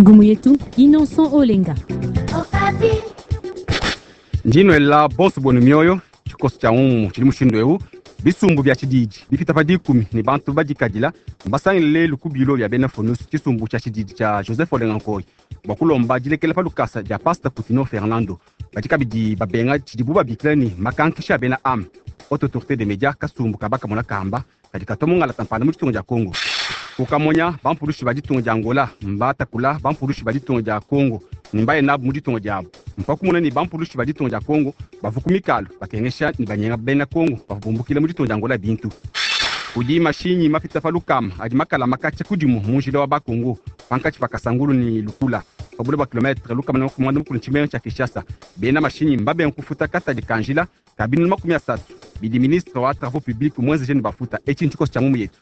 Ngumu yetu Innocent Olenga. Ndi nuela bonso buenu mioyo. Tshikoso tshia ngumu tshidi mushindu eu: bisumbu bia tshididi bipita pa 10 ne bantu badikadila mbasangile lelu ku bilo bia bena Fonus, tshisumbu tshia tshididi tshia Joseph Olenga Nkoy, bua kulomba dilekela pa lukasa dia Pasta Kutino Fernando. Badi kabidi babenga tshidibu babikila ne makankisha a bena am Haute Autorité des Médias, kasumbu ka bakamona kamba kadi katua mungalata mpanda mu ditunga dia Congo. Kukamonya bampulushi ba ditunga dia Angola mbatakula bampulushi ba ditunga dia Congo ne mbaye nabu mu ditunga diabu. Mpa kumona ne bampulushi ba ditunga dia Congo bavua ku mikalu bakengesha ne banyenga bena Congo bavua bumbukila mu ditunga dia Angola bintu. Kudi mashinyi mapita pa lukama adi makala makatshia kudimu mu njila wa Bakongo pankatshi pa Kasangulu ne Lukula, pa bule bua kilometre 160 tshimenga tshia Kinshasa. Bena mashinyi mbabenga kufuta katadi ka njila ka 300 bidi ministre wa travaux publics muenzeje ne bafuta. Etshi ntshikoso tshia ngumu yetu.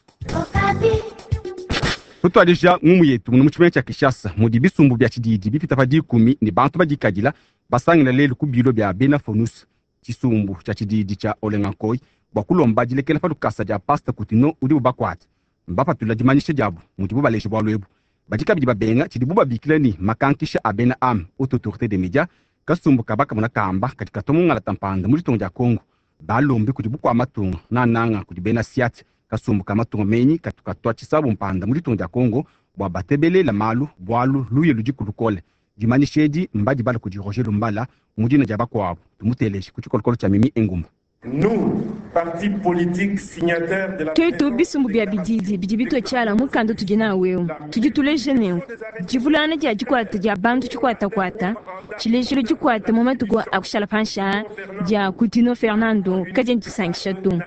Tutuadija ngumu yetu mu tshimenga tshia Kinshasa, mudi bisumbu bia tshididi bipita pa 10 ne bantu badikadila basangila lelu ku bilo bia bena Fonus, tshisumbu tshia tshididi tshia Olenga Nkoy, bua kulomba dilekela pa lukasa dia Pasta Kutino udibu bakuate. Mbapatula dimanyisha diabu mudibu baleje bualu ebu. Badi kabidi babenga tshidibu babikila ne makankisha a bena am Haute Autorité des Médias, kasumbu ka bakamona kamba kadi katua mungalata mpanda mu ditunga dia Congo. Balombi kudi bukua matunga, nananga kudi bena Siat, kasumbu ka matunga menyi katu katua tshisabu mpanda mu ditunga dia Congo, bua batebelela malu, bualu luye ludiku lukole. Dimanyisha edi mbadibala kudi Roger Lumbala mu dina dia bakuabu. Tumuteleje ku tshikolokolo tshia Mimi Engumba. Nous, parti politique signataire de la Twetu bisumbu bia bididi bidi bitue tshiala mukanda utudi nawu eu, tudi tuleja nenku divulangana dia dikuata dia bantu tshikuatakuata, tshilejilu dikuata mu matuku a kushala panshi aa dia Kutino Fernando kadiena disankisha to.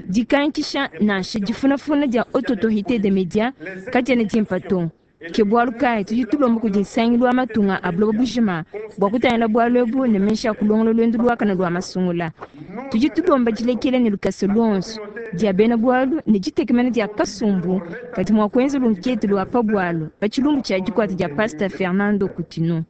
Dikankisha nansha difunafuna dia Haute Autorite des Medias kadiena dimpa to. Ke bualu kayi tudi tulomba kudi Nsangilu wa Matunga a Buloba bujima bua kutangila bualu ebu ne meji a kulongola luendu luakane lua masungula. Tudi tulomba dilekela ne lukasa luonso dia bena bualu ne ditekemena dia kasumbu kadi mua kuenza lunkete lua pa bualu pa tshilumbu tshia dikuata dia Pasta Fernando Kutino.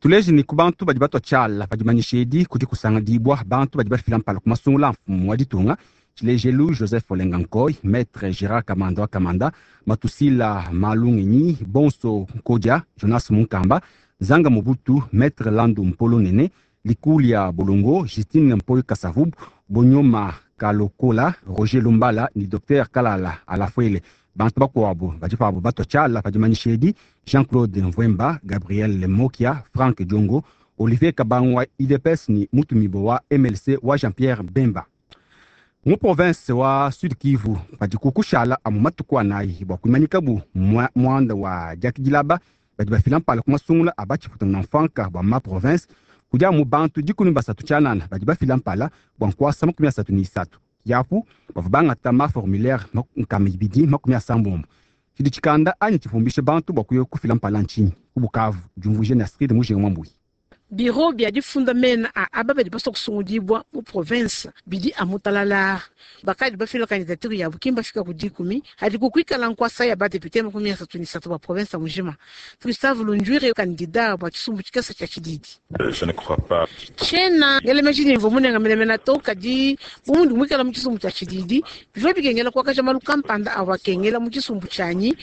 Tuleje ne ku bantu badi batua tshiala pa dimanyisha edi kudi kusangadibua bantu badi bafila mpala ku masungula a mfumu wa ditunga, tshilejelu Joseph Olenga Nkoy, Maître Gérard Kamanda wa Kamanda, Matusila Malungenyi, Bonso Nkodia, Jonas Munkamba, Zanga Mobutu, Maître Landu Mpolo Nene, Likulia Bolongo, Justine Mpoy Kasavubu, Bonyoma Kalokola, Roger Lumbala ne Dr Kalala Alafuele. Bantu bakuabu badi pabu batua tshiala pa dimanyisha edi: Jean-Claude Mvwemba, Gabriel Mokia, Frank Diongo, Olivier Kabangu wa UDPS ne Mutumibo wa MLC wa Jean-Pierre Bemba. Mu province wa Sud Kivu padiku kushala amu matuku anayi bua kuimanyikabu muanda wa diakidilaba badi bafila mpala ku masungula a batshiputa na mfanka bua ma province. Kudi amu bantu 13 tshianana badi bafila mpala bua nkuasa 33 yapu bavua bangata ma formulaire 290. Tshidi tshikanda anyi tshipumbishe bantu bua kuya kufila mpala ntshinyi? Ku Bukavu, diumvuije ne Astrid Mujinga Mwambuyi. Biro bia difunda mena a aba badi basua kusungudibua mu province bidi amu talalaa. Bakadi bafila candidature yabu ki mbafika ku 10, hadiku kuikala nkuasa ya ba depute 33 ba province mujima. Gustave Lunjuire, candidat bua tshisumbu tshikese tshia tshididi. Je ne crois pas. Tshiena ngela meji ne mvua munenga menemene to, kadi bu mundi muikala mu tshisumbu tshia tshididi, bivua bikengela kuakaja malu kampanda avua akengela mu tshisumbu tshianyi.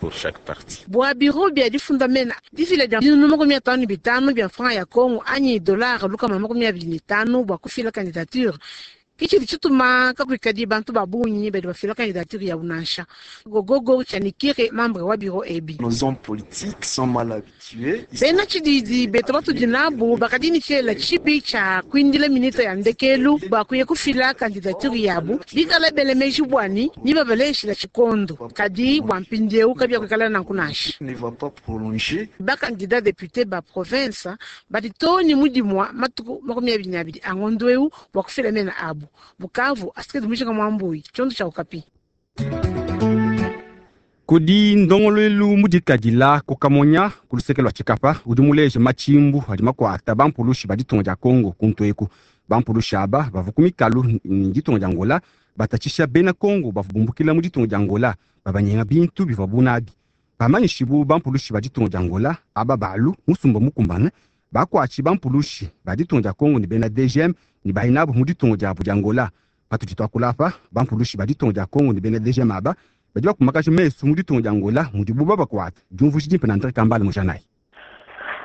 Pour chaque parti. Bua biro bia difunda mena, difila dia 550 bia francs ya Congo anyi dollar 125 bua kufila candidature ke tshidi tshituma kakuikadi bantu ba bungi badi bafila candidature yabu nansha. Gogogo Tshianikire, membre wa biro ebi. Nos hommes politiques sont mal habitués. Bena tshididi betu batudi nabu bakadi ne tshiela tshibi tshia kuindila minute ya ndekelu bua kuya kufila candidature yabu, bikala bele meji buani ni babaleshila tshikondo. Kadi bua mpindieu kabiakuikala nanku nansha. Ne va pas prolonger. Ba candidat député ba province badi too ne mudimua matuku 22 a ngondo eu bua kufila mena abu. Bukavu, Astrid Mujinga Mwambuyi, tshiondo tshia Okapi. Kudi ndongoluelu mudikadila ku Kamonya ku luseke lua Tshikapa udi muleje matshimbu adi makuata bampulushi ba ditunga dia Congo kuntu eku. Bampulushi aba bavua ku mikalu ne ditunga dia Angola batatshisha bena Congo bavua bumbukila mu ditunga dia Angola, babanyenga bintu bivuabu nabi. Bamanyishibu bampulushi ba ditunga dia Angola aba balu musumba mukumbane bakuatshi bampulushi ba ditunga dia Congo ne bena DGM ne bayinabu mu ditunga diabu dia Angola. Patudi tuakula apa, bampulushi ba ditunga dia Kongo ne bena DGM aba badi bakumakaja mesu mu ditunga dia Angola mudibu babakuata. Diumvuija dimpe na Andre Kambale Mujanayi.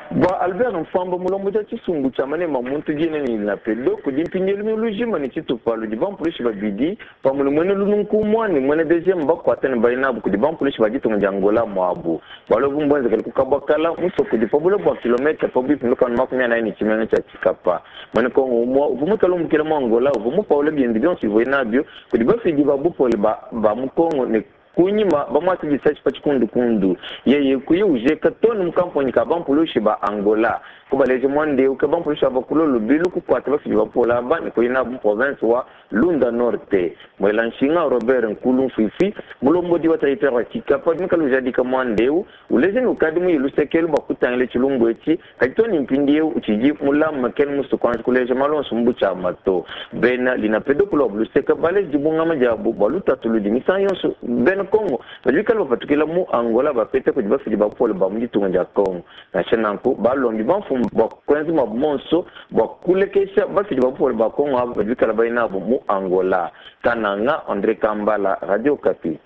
Bua Albert Mfwamba, mulombodi wa tshisumbu tshia manema a muntu diena ne Linapedo, kudi mpindieu lumingu lujima ne tshitupa ludi bampulushi babidi pamue ne muena lununku umue ne muena DGM bakuata ne baye nabu kudi bampulushi ba ditunga dia Angola muabu. Bualu ebu mbuenzekele ku Kabwakala, musoko udi pa bule bua kilometre pabuipi ne 140 ne tshimenga tshia Tshikapa. Muena Kongo umue uvua muikale umbukila mu Angola uvua mupawule biende bionso bivuaye nabio kudi bafidi ba bupole ba mu Kongo ne Kunyima, bamuase disashi pa tshikundukundu, yeye kuya ujeka too ne mu kamponyi ka bampulushi ba Angola. Kubaleja muanda eu, ke bampulushi aba kulua lubilu kukuata bafidi ba bupole aba ne kuya nabu mu provense wa Lunda Norte. Muela nshinga Robert Nkulu Mfuifui, mulombodi wa teritware wa Tshikapa, udi muikale ujadika muanda eu, uleja ne, ukadi muye luseke elu bua kutangila tshilumbu etshi, kadi too ne mpindieu utshidi mulame, kena musue kuanji kuleja malu onso mu butshiama to. Bena Linapedo ku luabu luseke baleji dibungama diabu bua lutatu ludi misangu yonso bena Congo badi bikale bapatukila mu Angola bapeta kudi bafidi ba bupole ba mu ditunga dia Congo. Nansha nanku, balombi bamfumu bua kuenza muabu muonso bua kulekesha bafidi ba bupole ba Congo aba badi bikale baye nabu mu Angola. Kananga, Andre Kambala, Radio Okapi.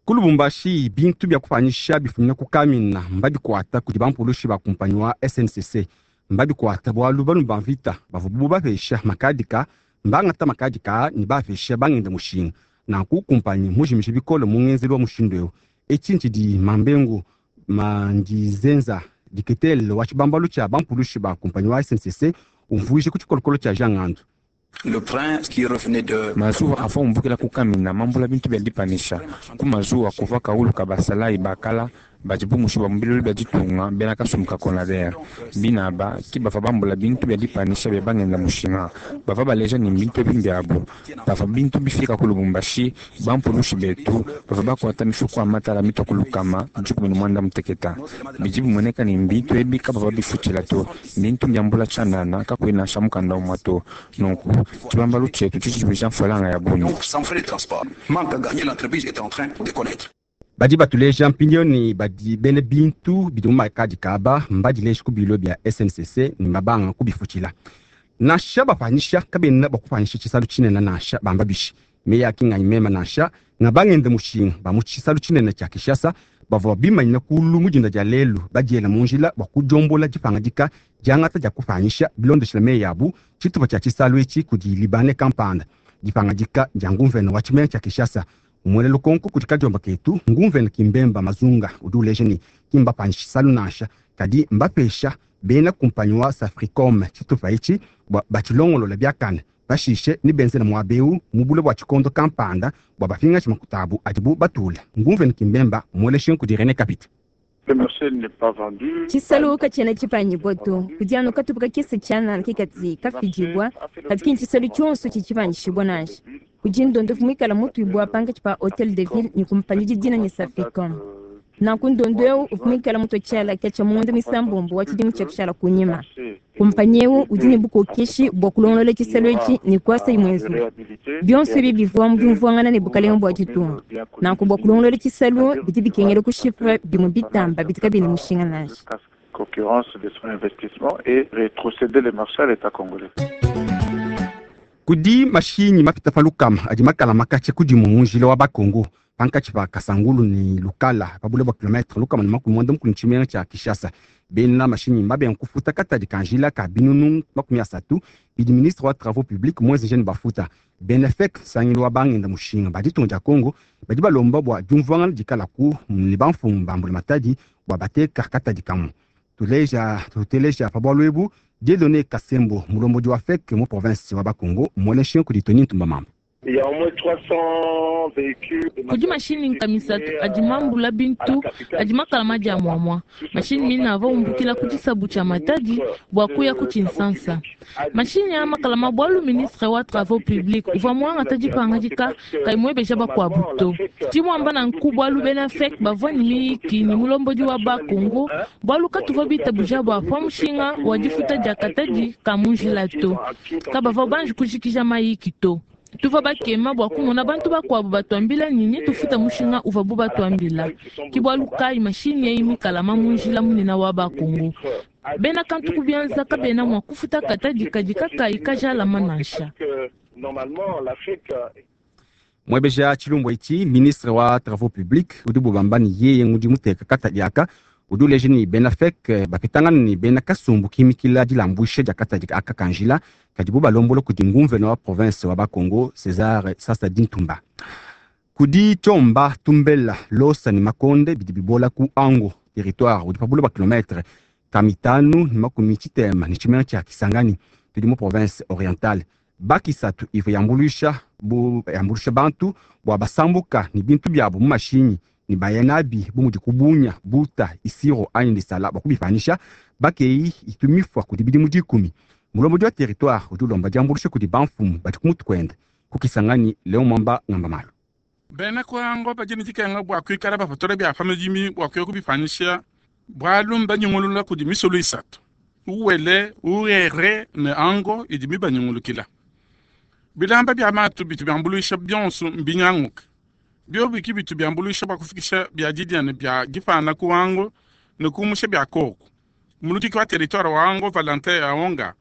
Ku Lubumbashi, bintu bia kupanyisha bifumina ku Kamina mbabikuata kudi bampulushi ba kumpanyi wa SNCC. Mbabikuata bualu balumi ba mvita bavua bapesha makadika mbangata makadika aa ne baapesha bangenda mushinga. Nanku kumpanyi mmujimije bikole mu ngenzelu wa mushindu eu. Etshi ntshidi Mambengu Mandizenza, diketele wa tshibambalu tshia bampulushi ba kumpanyi wa SNCC umvuija ku tshikolokolo tshia Jean Ngandu. Mazuwa avua umbukila ku Kamina mambula bintu bia dipanisha. Ku mazuwa kuvua kawulu ka basalayi ba kala badi bumushibua mu bilulu bia ditunga bena kasumbu ka Conader. Bina aba ki bavua bambula bintu bia dipanisha bia bangenda mushinga. Bavua baleja ne bintu ebi mbiabu. Pavua bintu bifika ku Lubumbashi, bampulushi betu bavua bakuata mifuku ya matala mitua ku 160. Bidi bimueneka ne bintu ebi kabavua bifutshila to. Mbintu mbiambula tshianana kakuyi nansha mukanda umue to. Nunku, tshibambalu tshietu tshidi tshipesha mfranga ya bungi. Badi batuleja mpindieu ne, badi bena bintu bidi mu makadika aba mbadileje ku bilo bia SNCC ne mbabanga kubifutshila. Nansha bapanyisha, kabena bakupanyisha tshisalu tshinene nansha bamba bishi. Meyi a ki nganyi meme nansha, nga bangenda mushinga ba mu tshisalu tshinene tshia Kinshasa bavua bimanyina kulu mu dinda dia lelu badiela mu njila bua kudiombola dipangadika diangata dia kupanyisha bilondeshile meyi abu tshitupa tshia tshisalu etshi kudi Libanais kampanda. Dipangadika dia ngumvene wa tshimenga tshia Kinshasa Muele lukonko kudi kadiomba ketu, ngumvene ki Mbemba Mazunga udi uleja ne, ki mbapanyishe tshisalu nansha, kadi mbapesha bena kumpanyi wa Safricom tshitupa etshi bua batshilongolole biakane. Pashishe nebenzele muaba eu mu bule bua tshikondo kampanda bua bapingaje makuta abu adibu batule. Ngumvene ki Mbemba mueleshe kudi Rene Kapita. Tshisalu katshiena tshipanyibua to, kudi anu katupa kakese tshianana ke kadi kafidibua, kadi ki ntshisalu tshionso tshidi tshipanyishibua nansha. Kudi ndondofu muikala mutuibua pankatshi pa Hotel de Ville ne kumpanyi udi dina ne Safricom. Nanku ndondo eu uvua muikala mutua tshiala katshia mu ngondo muisambombo wa tshidimu tshia kushala kunyima. Kumpanyi eu udi ne bukokeshi bua kulongolola tshisalu etshi ne kuasa imue nzubu. Bionso ebi bivua mu diumvuangana ne bukalenge bua ditunga. Nanku bua kulongolola tshisalu bidi bikengela kushipa bimue bitamba bidi kabiyi ne mushinga nansha. Kudi mashinyi mapita pa lukama adi makalamakace ku dimue mu njila wa Bakongo pankatshi pa Kasangulu ne Lukala pa bule bua kilometre 160 ne tshimenga tshia Kinshasa. Bena mashinyi mbabenga kufuta katadi ka njila ka 300 000 bidi ministre wa Travaux publics muenzeje ne bafuta. Bena FEC, nsangilu wa bangenda mushinga ba ditunga dia Congo, badi balomba bua diumvuangana dikalaku ne bamfumu ba mbulamatadi bua bateka katadi kamue. Tuleja tuteleja pa bualu ebu Dieudonne Kasembo, mulombodi wa FEC mu province wa Bas-Congo, muele nshinga kudi Tony Ntumba Mamba. Kudi mashinyi nkama isatu adi mambula bintu adi makala madia muamua. Mashinyi mine avua umbukila ku tshisabu tshia Matadi bua kuya ku Tshinsansa. Mashinyi aa makala ma bualu ministre wa Travaux publics uvua muangata dipangadika kayi muebeja bakuabu to. Ndi muamba nanku bualu bena FEC bavua ne miyiki ne mulombodi wa Bas-Congo bualu katuvua bitabuja bua pa mushinga wa difuta dia katadi ka mu njila to. Kabavua banji kujikija mayiki to. Tuvua bakema bua kumona bantu bakuabu batuambila ne, netufuta mushinga uvuabu batuambila. Ke bualu kayi mashinyi eyi mikalama mu njila munene wa Ba-Kongo. Bena kantu ku bianza kabena mua kufuta katadi kadi kakayi kajalama nansha. Mwebeja tshilumbu etshi, ministre wa travaux publics udi bubamba ne yeye ngudi muteka katadi aka udi uleja ne bena FEC bapetangana ne bena kasumbu kimikila dilambuisha dia katadi aka ka njila kadibu balombola kudi nguvena wa province wa Bakongo César Sasa Dintumba. Kudi Tshomba, Tumbela, Losa ne Makonde bidi bibola ku Ango territoire udi pa buloba kilometre ka mitanu ne makumi tshitema ne tshimenga tshia Kisangani tudi mu province orientale. Bakisatu ivua yambuluisha bu yambuluisha bantu bua basambuka ne bintu biabu mu mashinyi ne baya nabi bu mudi kubunya buta isiro anyi lisala bua kubipanyisha. Bakeyi itu mifua kudi bidimu dikumi. Mulombodi wa territoire udi ulomba diambuluisha kudi bamfumu badi ku mutu kuende ku Kisangani. Leon Mwamba ngamba malu. Bena kuango badi ne dikenga bua kuikala bapatula bia pa madimi bua kuya kubipanyisha, bualu mbanyungulula kudi misulu isatu, Uwele, Urere ne Ango idi mibanyungulukila. Bilamba bia matu bitu biambuluisha bionso mbinyanguke. Biobi ki bitu biambuluisha bua kufikisha bia didia ne bia dipana ku Ango ne kumusha bia koku. Muludiki wa territoire wa Ango, Valentin Aonga,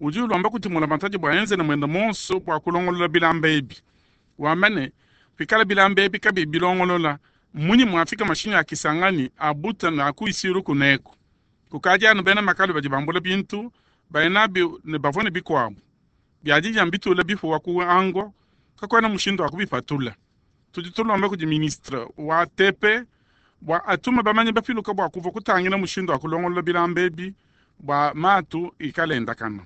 udi ulomba kudi mbulamatadi bua enze ne muende muonso bua kulongolola bilamba ebi. Wamba ne, pikala bilamba ebi kabiyi bilongolola, mmunyi muafika mashinyi a Kisangani, a Buta ne a ku Isiro kuneku? Kukadi anu bena makalu badi bambula bintu, baya nabi ne bavua ne bikuabu bia didia mbitula bipuwa ku Ango, kakuena mushindu wa kubipatula. Tudi tulomba kudi ministre wa TP bua atume bamanyi bapiluka bua kuvua kutangila mushindu wa kulongolola bilamba ebi bua matu ikale endakana.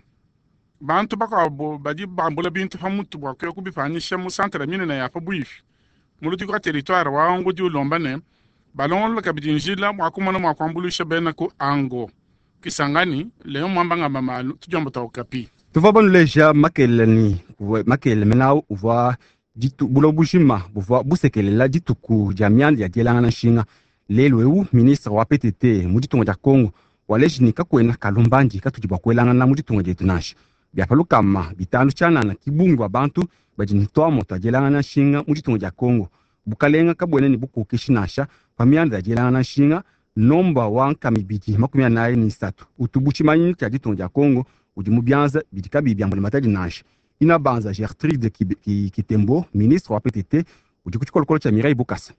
Bantu bakuabu badi bambula bintu pa mutu bua kuya kubipanyisha mu santere minene ya pabuipi. Muludiki wa territoire wa Ango udi ulomba ne, balongolole kabidi njila bua kumona mua kuambuluisha bena ku Ango. Kisangani, Leon Mwamba ngamba malu, tudiomba tua Okapi. Tuvua banuleja makelela ne makelela menawu uvua ditu buloba bujima buvua busekelela dituku dia mianda ya dielangana nshinga. Lelu eu ministre wa PTT mu ditunga dia Congo waleji ne kakuena kalumbandi katudi bua kuelangana mu ditunga dietu nansha. Bia pa lukama bitanu tshianana ki bungi bua bantu badi ne tuamua tua dielangana nshinga mu ditunga dia Congo. Bukalenga kabuena ne bukokeshi nansha pa mianda ya dielangana nshinga. Nomba wa nkama ibidi makumi anayi ne isatu utu bu tshimanyinu tshia ditunga dia Congo udi mu bianza bidi kabiyi bia mbulamatadi nansha. Inabanza Gertrude Kitembo, ministre wa PTT, udi ku tshikolokolo tshia Mireille Bukasa.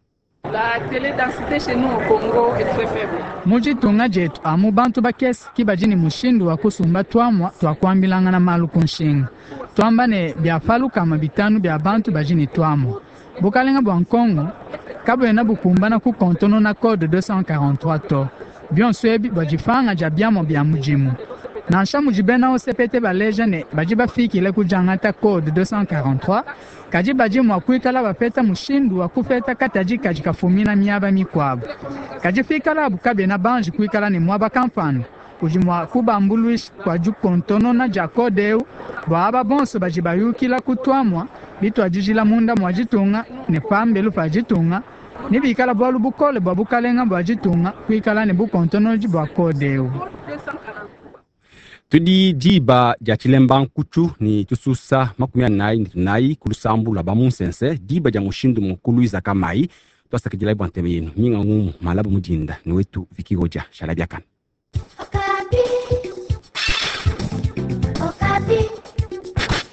La teledensite chez nous au Congo est très faible. Mu ditunga dietu amu bantu bakese ki badi ne mushindu wa kusumba tuamua tua kuambilangana malu ku nshinga. Tuamba ne bia pa lukama bitanu bia bantu badi ne tuamua. Bukalenga bua Nkongo kabuena bukumbana kukontonona code 243 to. Bionso ebi bua dipanga dia biamua bia mudimu. Nansha mudi bena OCPT baleja ne badi bafikile ku diangata code 243, kadi badi mua kuikala bapeta mushindu wa kupeta katadi kadi kafumina miaba mikuabu. Kadi pikalabu kabena banji kuikala ne muaba kampanda udi mua kubambuluisha kua dikontonona dia code eu bua aba bonso badi bayukila ku tuamua bituadijila munda mua ditunga ne pambelu pa ditunga, ne bikala bualu bukole bua bukalenga bua ditunga kuikala ne bukontonodi bua code eu. Tudi diba dia tshilemba nkutshu ne tususa makumi anayi ne tunayi ku lusambu lua bamunsense, diba dia mushindu mukulu Izaka Mayi. Tuasakidilayi bua ntema yenu minga ngumu malabu mudinda ne wetu Vicky Godia. Shala biakana.